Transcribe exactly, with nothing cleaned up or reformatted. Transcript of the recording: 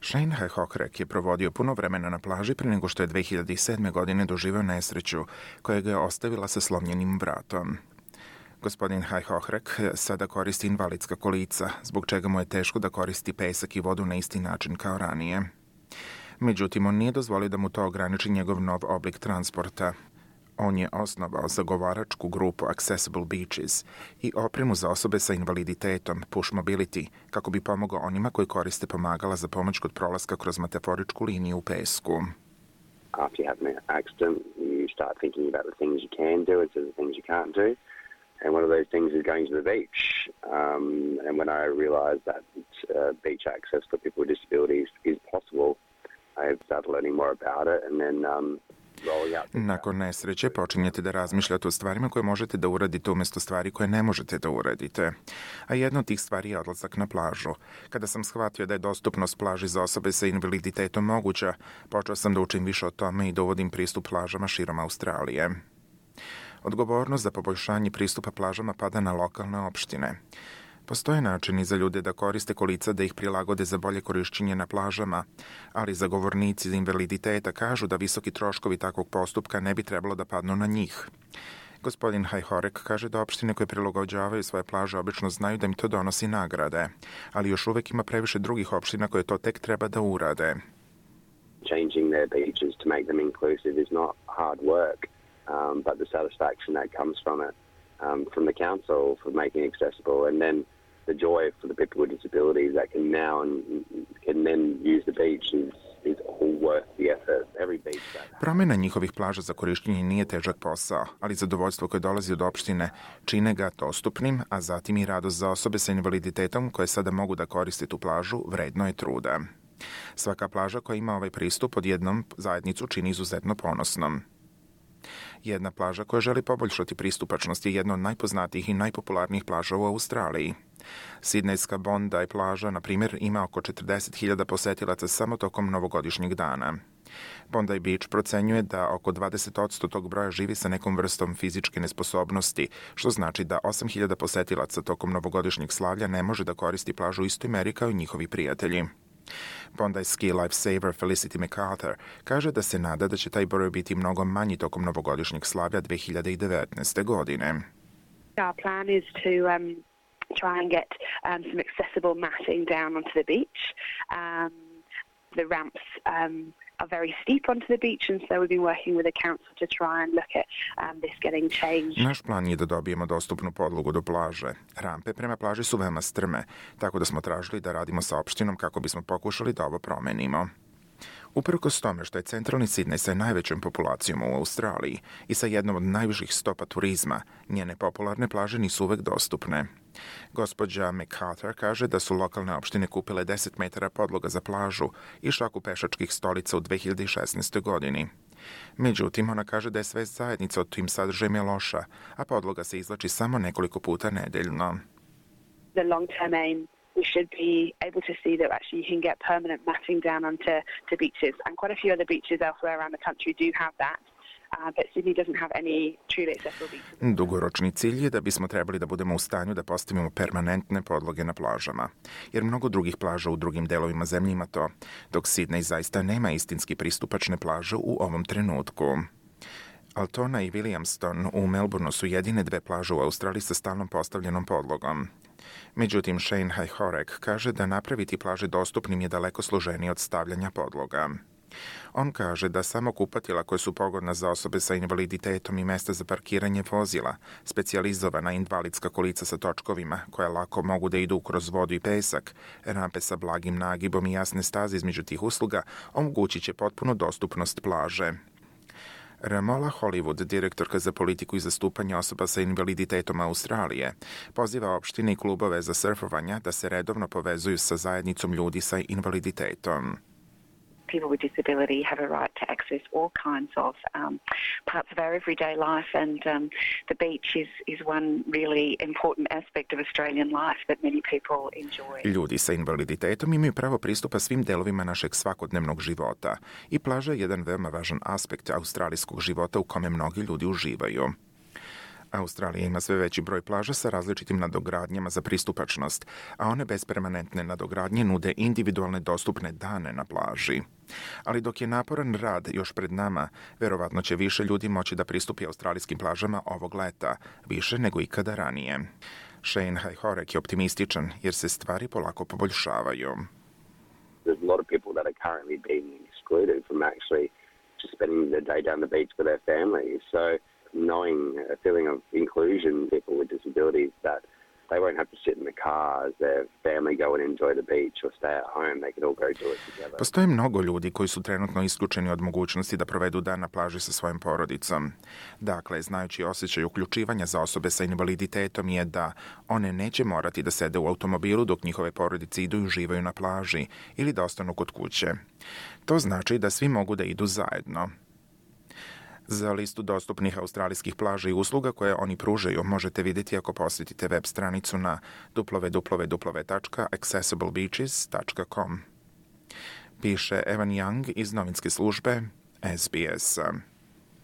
Shane Hockrek je provodio puno vremena na plaži prije nego što je dve hiljade sedme. godine doživeo nesreću koja ga je ostavila sa slomljenim vratom. Gospodin Hockrek sada koristi invalidska kolica, zbog čega mu je teško da koristi pesak i vodu na isti način kao ranije. Međutim, on nije dozvolio da mu to ograniči njegov nov oblik transporta. On je osnovao zagovaračku grupu Accessible Beaches i opremu za osobe sa invaliditetom Push Mobility kako bi pomogao onima koji koriste pomagala za pomoć kod prolaska kroz metaforičku liniju u pesku. After you have an accident, you start thinking about the things you can do instead of the things you can't do. And one of those things is going to the beach. Um, and when I realized that uh, beach access for people with disabilities is possible, I started learning more about it and then um, Nakon nesreće počinjete da razmišljate o stvarima koje možete da uradite umjesto stvari koje ne možete da uradite. A jedna od tih stvari je odlazak na plažu. Kada sam shvatio da je dostupnost plaži za osobe sa invaliditetom moguća, počeo sam da učim više o tome i da uvodim pristup plažama širom Australije. Odgovornost za poboljšanje pristupa plažama pada na lokalne opštine. Postoje načini za ljude da koriste kolica da ih prilagode za bolje korišćenje na plažama, ali zagovornici za invaliditeta kažu da visoki troškovi takvog postupka ne bi trebalo da padnu na njih. Gospodin Hockrek kaže da opštine koje prilagođavaju svoje plaže obično znaju da im to donosi nagrade, ali još uvek ima previše drugih opština koje to tek treba da urade. Changing their beaches to make them inclusive is not hard work, um, but the satisfaction that comes from it, um, from the council for making it accessible, and then the joy for the people with disabilities that can now and can then use the beach is, is all worth the effort. Every beach that... Promjena njihovih plaža za korištenje nije težak posao, ali zadovoljstvo koje dolazi od opštine čine ga dostupnim, a zatim i radost za osobe sa invaliditetom koje sada mogu da koriste tu plažu vredno je truda. Svaka plaža koja ima ovaj pristup odjednom zajednicu čini izuzetno ponosnom. Jedna plaža koja želi poboljšati pristupačnost je jedna od najpoznatijih i najpopularnijih plaža u Australiji. Sidnejska Bondi plaža, na primjer, ima oko četrdeset hiljada posetilaca samo tokom novogodišnjeg dana. Bondi Beach procenjuje da oko dvadeset posto tog broja živi sa nekom vrstom fizičke nesposobnosti, što znači da osam hiljada posetilaca tokom novogodišnjeg slavlja ne može da koristi plažu u istoj meri kao i njihovi prijatelji. Bondi ski lifesaver Felicity MacArthur kaže da se nada da će taj broj biti mnogo manji tokom novogodišnjeg slavlja dve hiljade devetnaeste. godine. Our plan is to um, try and get um, some accessible matting down onto the beach. Um, the ramps um, are very steep onto the beach, and so we've been working with the council to try and look at um, this getting changed. Naš plan je da dobijemo dostupnu podlogu do plaže. Rampe prema plaži su veoma strme, tako da smo tražili da radimo sa opštinom kako bismo pokušali da ovo promenimo. Uprkos tome što je centralni Sidnej sa najvećom populacijom u Australiji i sa jednom od najviših stopa turizma, njene popularne plaže nisu uvek dostupne. Gospođa MacArthur kaže da su lokalne opštine kupile deset metara podloga za plažu i šaku pešačkih stolica u dve hiljade šesnaestoj. godini. Međutim, ona kaže da je svest zajednica o tim sadržajima loša, a podloga se izvlači samo nekoliko puta nedeljno. The long-term aim we should be able to see that actually you can get permanent matting down onto to beaches, and quite a few other beaches elsewhere around the country do have that. Uh, but Sydney doesn't have any truly accessible beaches. Dugoročni cilj je da bismo trebali da budemo u stanju da postavimo permanentne podloge na plažama, jer mnogo drugih plaža u drugim delovima zemlje ima to, dok Sidney zaista nema istinski pristupačne plaže u ovom trenutku. Altona i Williamston u Melbourneu su jedine dve plaže u Australiji sa stalnom postavljenom podlogom. Međutim, Shane Hockrek kaže da napraviti plaže dostupnim je daleko složenije od stavljanja podloga. On kaže da samo kupatila koje su pogodna za osobe sa invaliditetom i mesta za parkiranje vozila, specijalizovana invalidska kolica sa točkovima koja lako mogu da idu kroz vodu i pesak, rampe sa blagim nagibom i jasne staze između tih usluga omogućit će potpuno dostupnost plaže. Ramola Hollywood, direktorka za politiku i zastupanje osoba sa invaliditetom Australije, poziva opštine i klubove za surfovanja da se redovno povezuju sa zajednicom ljudi sa invaliditetom. People with disability have a right to access all kinds of um, parts of our everyday life, and um, the beach is, is one really important aspect of Australian life that many people enjoy. Ljudi sa invaliditetom imaju pravo pristupa svim delovima našeg svakodnevnog života i plaža je jedan veoma važan aspekt australijskog života u kome mnogi ljudi uživaju. Australija ima sve veći broj plaža sa različitim nadogradnjama za pristupačnost, a one bez permanentne nadogradnje nude individualne dostupne dane na plaži. Ali dok je naporan rad još pred nama, verovatno će više ljudi moći da pristupi australijskim plažama ovog leta, više nego ikada ranije. Shane Hajhorek je optimističan jer se stvari polako poboljšavaju. There's a lot of people that are currently being excluded from actually just spending their day down the beach with their families. So knowing a feeling of inclusion, people with disabilities, that they won't have to sit in the car as their family go and enjoy the beach or stay at home. They can all go do it together. Postoje mnogo ljudi koji su trenutno isključeni od mogućnosti da provedu dan na plaži sa svojim porodicom. Dakle, znajući osjećaj uključivanja za osobe sa invaliditetom je da one neće morati da sede u automobilu dok njihove porodice idu i uživaju na plaži ili da ostanu kod kuće. To znači da svi mogu da idu zajedno. Za listu dostupnih australijskih plaža i usluga koje oni pružaju možete vidjeti ako posjetite web stranicu na w w w tačka accessible beaches tačka com. Piše Evan Young iz novinske službe S B S.